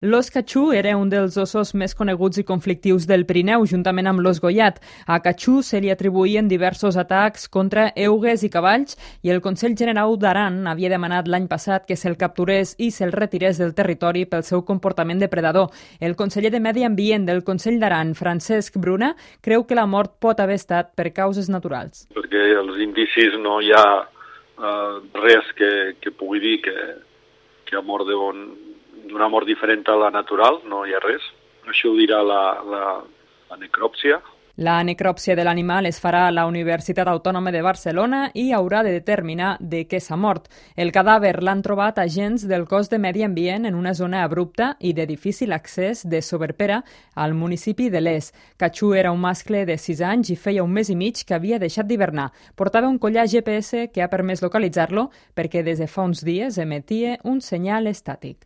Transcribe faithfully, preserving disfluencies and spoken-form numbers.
L'ós catxú era un dels ossos més coneguts i conflictius del Pirineu, juntament amb l'ós gollat. A catxú se li atribuïen diversos atacs contra eugues i cavalls i el Consell Generau d'Aran havia demanat l'any passat que se'l capturés i se'l retirés del territori pel seu comportament depredador. El conseller de Medi Ambient del Consell d'Aran, Francesc Bruna, creu que la mort pot haver estat per causes naturals. Perquè els indicis no hi ha uh, res que, que pugui dir que, que ha mort d'un d'una mort diferent a la natural, no hi ha res. Això ho dirà la, la, la necròpsia. La necròpsia de l'animal es farà a la Universitat Autònoma de Barcelona i haurà de determinar de què s'ha mort. El cadàver l'han trobat agents del cos de Medi Ambient en una zona abrupta i de difícil accés de Soberpera, al municipi de Les. Catxú era un mascle de sis anys i feia un mes i mig que havia deixat d'hivernar. Portava un collar G P S que ha permès localitzar-lo perquè des de fa uns dies emetia un senyal estàtic.